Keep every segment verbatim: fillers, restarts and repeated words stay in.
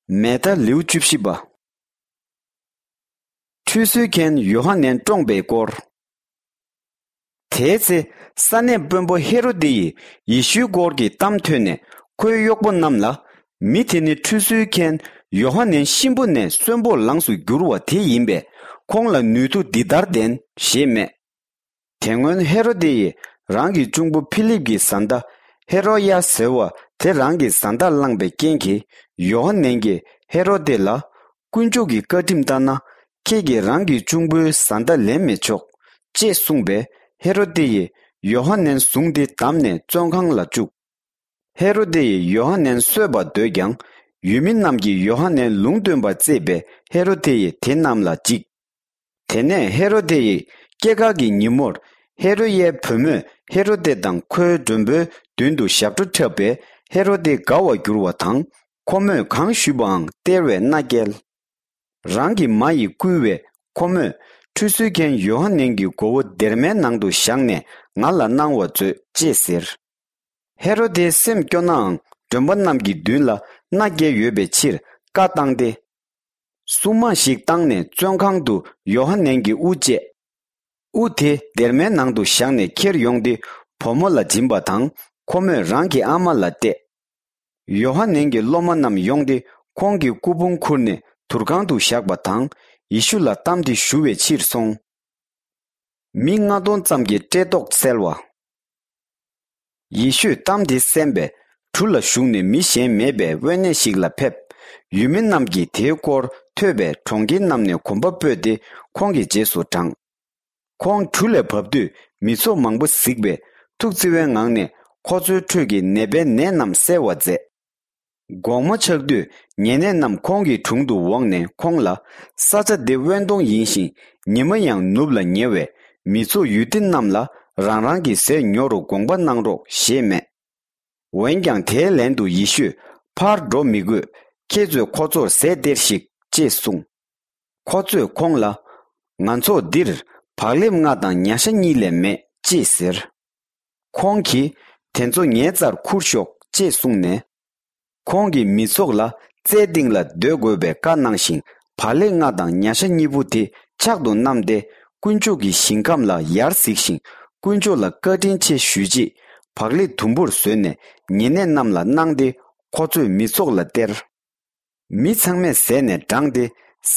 མེ་ད་ལེའུ་བཅུ་བཞི་པ། ཁྲུས་གསོལ་མཁན་ཡོ་ཧ་ནན་བཀྲོངས་པའི་སྐོར། དེའི་ཚེ་ས་གནས་དཔོན་པོ་ཧེ་རོ་དེ་ཡིས་ཡེ་ཤུའི་སྐོར་གྱི་གཏམ་ཐོས་ནས་ཁོའི་གཡོག་པོ་རྣམས་ལ། མི་དེ་ནི་ཁྲུས་གསོལ་མཁན་ཡོ་ཧ་ནན་གཤིན་པོ་ནས་གསོན་པོར་ལངས་སུ་འགྱུར་བ་དེ་ཡིན་པས། ཁོང་ལ་ནུས་མཐུ་འདི་ལྟར་ལྡན་ཞེས་སྨྲས། དེ་སྔོན་ཧེ་རོ་དེ་ཡིས་རང་གི་གཅུང་པོ་ཕི་ལིབ་ཀྱི་བཟའ་ཟླ་ཧེ་རོ་ཡ་ཟེར་བ་དེ་རང་གི་བཟའ་ཟླར་བླངས་པའི་རྐྱེན་གྱིས། ཡོ་ཧ་ནན་གྱིས་ཧེ་རོ་དེ་ལ། དཀོན་མཆོག་གི་བཀའ་ཁྲིམས་ལྟར་ན། ཁྱེད་ཀྱིས་རང་གི་གཅུང་པོའི་བཟའ་ཟླ་ལེན་མི་ཆོག་ཅེས་གསུངས་པས། ཧེ་རོ་དེ་ཡིས་ཡོ་ཧ་ནན་བཟུང་སྟེ་བསྡམས་ནས་བཙོན་ཁང་ལ་བཅུག་ཧེ་རོ་དེ་ཡིས་ཡོ་ཧ་ནན་གསོད་པར་འདོད་ཀྱང་། ཡུལ་མི་རྣམས་ཀྱིས་ཡོ་ཧ་ནན་ལུང་སྟོན་པར་བརྩིས་པས། ཧེ་རོ་དེ་ཡིས་དེ་རྣམས་ལ་འཇིགས། དེ་ནས་ཧེ་རོ་དེ་ཡི་སྐྱེས་སྐར་གྱི་ཉིན་མོར། ཧེ་རོ་ཡའི་བུ་མོས་ཧེ་རོ་དེ་དང་ཁོའི་མགྲོན་པོའི་མདུན་དུ་ཞབས་བྲོ་འཁྲབ་པས། ཧེ་རོ་དེ་དགའ་བར་གྱུར་བ་དང་། ཁོ་མོས་གང་ཞུས་པའང་སྟེར་བའི་མནའ་བསྐྱལ། རང་གི་མ་ཡིས་བསྐུལ་བས། ཁོ་མོས་ཁྲུས་གསོལ་མཁན་ཡོ་ཧ་ནན་གྱི་མགོ་བོ་སྡེར་མའི་ནང་དུ་བཞག་ནས་ང་ལ་གནང་བར་མཛོད་ཅེས་ཟེར། ཧེ་རོ་དེའི་སེམས་སྐྱོ་ནའང་། མགྲོན་པོ་རྣམས་ཀྱི་མདུན་ལ་མནའ་བསྐྱལ་ཡོད་པའི་ཕྱིར་བཀའ་བཏང་སྟེ། སྲུང་དམག་ཞིག་བཏང་ནས་བཙོན་ཁང་དུ་ཡོ་ཧ་ནན་གྱི་དབུ་བཅད། དབུ་དེ་སྡེར་མའི་ནང་དུ་བཞག་ནས་ཁྱེར་ཡོང་སྟེ། བུ་མོ་ལ་སྦྱིན་པ་དང་། ཁོ་མོས་རང་གི་ཨ་མ་ལ་གཏད། ཡོ་ཧ་ནན་གྱི་སློབ་མ་རྣམས་ཡོང་སྟེ། ཁོང་གི་སྐུ་ཕུང་ཁུར་ནས་དུར་ཁང་དུ་བཞག་པ་དང་། ཡེ་ཤུ་ལ་གཏམ་དེ་ཞུ་བའི་ཕྱིར་སོང་། མི་ལྔ་སྟོང་ཙམ་གྱི་བཀྲེས་ལྟོགས་བསལ་བ། ཡེ་ཤུས་གཏམ་དེ་གསན་པས། གྲུ་ལ་ཞུགས་ནས་མི་གཞན་མེད་པའི་དབེན་གནས་ཤིག་ལ་ཕེབས། ཡུལ་མི་རྣམས་ཀྱིས་དེའི་སྐོར་ཐོས་པས། གྲོང་ཁྱེར་རྣམས་ནས་གོམ་པ་སྤོས་ཏེ། ཁོང་གི་རྗེས་སུ་འབྲངས། ཁོང་གྲུ་ལས་བབས་དུས། མི་ཚོགས་མང་པོ་གཟིགས་པས། ཐུགས་བརྩེ་བའི་ངང་ནས། ཁོ་ཚོའི་ཁྲོད་ཀྱི་ནད་པའི་ནད་རྣམས་སེལ་བར་མཛད། དགོང་མོ་ཆགས་དུས། ཉེ་གནས་རྣམས་ཁོང་གི་དྲུང་དུ་འོངས་ནས་ཁོང་ལ། ས་ཆ་འདི་དབེན་སྟོང་ཡིན་ཞིང་། ཉི་མ་ཡང་ནུབ་ལ་ཉེ་བས། མི་ཚོགས་ཡུལ་སྡེ་རྣམས་ལ། རང་རང་གི་ཟས་ཉོ་རུ་དགོངས་པ་གནང་རོགས་ཞེས་སྨྲས། འོན་ཀྱང་དེའི་ལན་དུ་ཡེ་ཤུས། ཕར་འགྲོ་མི་དགོས། ཁྱེད་ཚོས་ཁོ་ཚོར་ཟས་སྟེར་ཞིག་ཅེས་གསུངས། ཁོ་ཚོས་ཁོང་ལ། ང་ཚོར་འདིར་བག་ལེབ་ལྔ་དང་ཉ་ཤ་གཉིས་ལས་མེད་ཅེས་ཟེར། ཁོང་གིས། དེ་ཚོ་ངའི་རྩར་ཁུར་ཤོག་ཅེས་གསུངས་ནས། ཁོང་གིས་མི་ཚོགས་ལ་རྩྭའི་སྟེང་ལ་སྡོད་དགོས་པའི་བཀའ་གནང་ཞིང་། བག་ལེབ་ལྔ་དང་ཉ་ཤ་གཉིས་པོ་དེ་ཕྱག་ཏུ་བསྣམས་ཏེ། དཀོན་མཆོག་གི་ཞིང་ཁམས་ལ་ཡར་གཟིགས་ཤིང་། དཀོན་མཆོག་ལ་བཀའ་དྲིན་ཆེ་ཞུས་རྗེས། བག་ལེབ་དུམ་བུར་བཟོས་ནས་ཉེ་གནས་རྣམས་ལ་གནང་སྟེ། ཁོ་ཚོས་མི་ཚོགས་ལ་སྟེར། མི་ཚང་མས་ཟས་ནས་འགྲངས་ཏེ།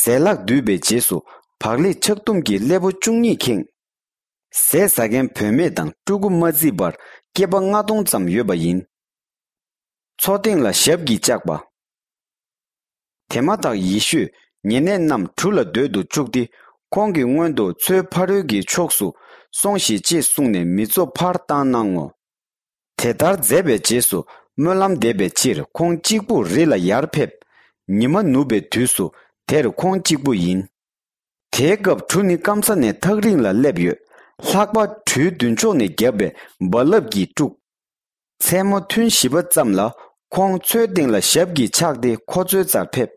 ཟས་ལྷག་བསྡུས་པའི་རྗེས་སུ། བག་ལེབ་ཆག་དུམ་གྱི་སླེ་པོ་བཅུ་གཉིས་ཁེངས། ཟས་ཟ་མཁན་བུད་མེད་དང་ཕྲུ་གུ་མ་བརྩིས་པར། སྐྱེས་པ་ལྔ་སྟོང་ཙམ་ཡོད་པ་ཡིན། མཚོ་སྟེང་ལ་ཞབས་ཀྱིས་བཅགས་པ། དེ་མ་ཐག་ཡེ་ཤུས་ཉེ་གནས་རྣམས་གྲུ་ལ་སྡོད་དུ་བཅུག་སྟེ། ཁོང་གི་སྔོན་དུ་མཚོའི་ཕ་རོལ་གྱི་ཕྱོགས་སུ་སོང་ཞིག་ཅེས་གསུངས་ནས། མི་ཚོགས་ཕར་བཏང་གནང་ངོ་། དེ་ལྟར་མཛད་པའི་རྗེས་སུ། སྨོན་ལམ་འདེབས་པའི་ཕྱིར། ཁོང་གཅིག་པུར་རི་ལ་ཡར་ཕེབས། ཉི་མ་ནུབ་པའི་དུས་སུ། དེར་ཁོང་གཅིག་པུ་ཡིན། དེའི་སྐབས་གྲུ་ནི་སྐམ་ས་ནས་ཐག་རིང་ལ་སླེབས་ཡོད། ལྷགས་པ་གྲུའི་མདུན་ཕྱོགས་ནས་བརྒྱབ་པའི་རྦ་རླབས་ཀྱིས་དཀྲུགས། མཚན་མོ་ཐུན་བཞི་པ་ཙམ་ལ། ཁོང་མཚོའི་སྟེང་ལ་ཞབས་ཀྱིས་བཅགས་ཏེ། ཁོ་ཚོའི་རྩར་ཕེབས།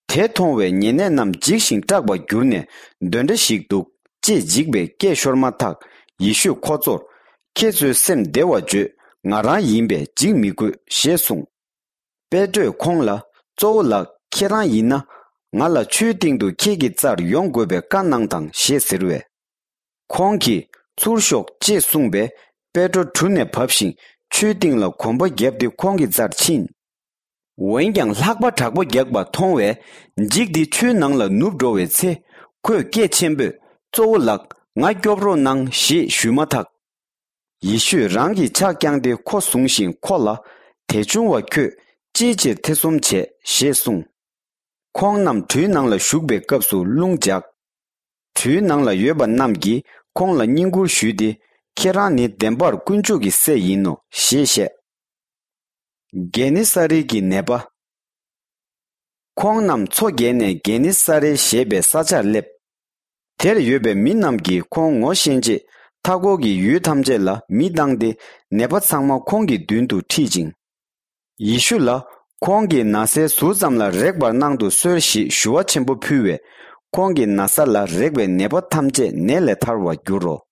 དེ་མཐོང་བས་ཉེ་གནས་རྣམས་འཇིགས་ཤིང་སྐྲག་པར་གྱུར་ནས། གདོན་འདྲེ་ཞིག་འདུག་ཅེས་འཇིགས་པའི་སྐད་ཤོར་མ་ཐག། ཡེ་ཤུས་ཁོ་ཚོར། ཁྱེད་ཚོའི་སེམས་བདེ་བར་བྱོས། ང་རང་ཡིན་པས་འཇིགས་མི་དགོས་ཞེས་གསུངས། པེ་ཏྲོས་ཁོང་ལ། གཙོ་བོ་ལགས། ཁྱེད་རང་ཡིན་ན། ང་ལ་ཆུའི་སྟེང་དུ་ཁྱེད་ཀྱི་རྩར་ཡོང་དགོས་པའི་བཀའ་གནང་དང་ཞེས་ཟེར་བས། ཁོང་གིས། ཚུར་ཤོག་ཅེས་གསུངས་པས། པེ་ཏྲོ་གྲུ་ནས་བབས་ཤིང་། ཆུའི་སྟེང་ལ་གོམ་པ་བརྒྱབ་སྟེ། ཁོང་གི་རྩར་ཕྱིན། འོན་ཀྱང་ལྷགས་པ་དྲག་པོ་རྒྱག་པ་མཐོང་བས། འཇིགས་ཏེ་ཆུའི་ནང་ལ་ནུབ་འགྲོ་བའི་ཚེ། ཁོས་སྐད་ཆེན་པོས། གཙོ་བོ་ལགས། ང་སྐྱོབ་རོགས་གནང་ཞེས་ཞུས་མ་ཐག། ཡེ་ཤུས་རང་གི་ཕྱག་བརྐྱངས་ཏེ་ཁོ་བཟུང་ཞིང་ཁོ་ལ། དད་ཆུང་བ་ཁྱོད། ཅིའི་ཕྱིར་ཐེ་ཚོམ་བྱས་ཞེས་གསུངས། ཁོང་རྣམས་གྲུའི་ནང་ལ་ཞུགས་པའི་སྐབས་སུ་རླུང་འཇགས། གྲུའི་ནང་ལ་ཡོད་པ་རྣམས་ཀྱིས་ཁོང་ལ་བསྙེན་བཀུར་ཞུས་ཏེ། ཁྱེད་རང་ནི་བདེན་པར་དཀོན་མཆོག་གི་སྲས་ཡིན་ནོ་ཞེས་བཤད། གེ་ནི་ས་རི་གི་ནད་པ། ཁོང་རྣམས་མཚོ་བརྒལ་ནས་གེ་ནི་ས་རེ་ཞེས་པའི་ས་ཆར་སླེབས། དེར་ཡོད་པའི་མི་རྣམས་ཀྱིས་ཁོང་ངོ་ཤེས་རྗེས། མཐའ་འཁོར་གྱི་ཡུལ་ཐམས་ཅད་ལ་མི་བཏང་སྟེ། ནད་པ་ཚང་མ་ཁོང་གི་མདུན་དུ་ཁྲིད་ཅིང་། ཡེ་ཤུ་ལ། ཁོང་གི་ན་བཟའི་ཟུར་ཙམ་ལ་རེག་པར་གནང་དུ་གསོལ་ཞེས་ཞུ་བ་ཆེན་པོ་ཕུལ་བས། ཁོང་གི་ན་བཟའ་ལ་རེག་པའི་ནད་པ་ཐམས་ཅད་ནད་ལས་ཐར་བར་འགྱུར་རོ།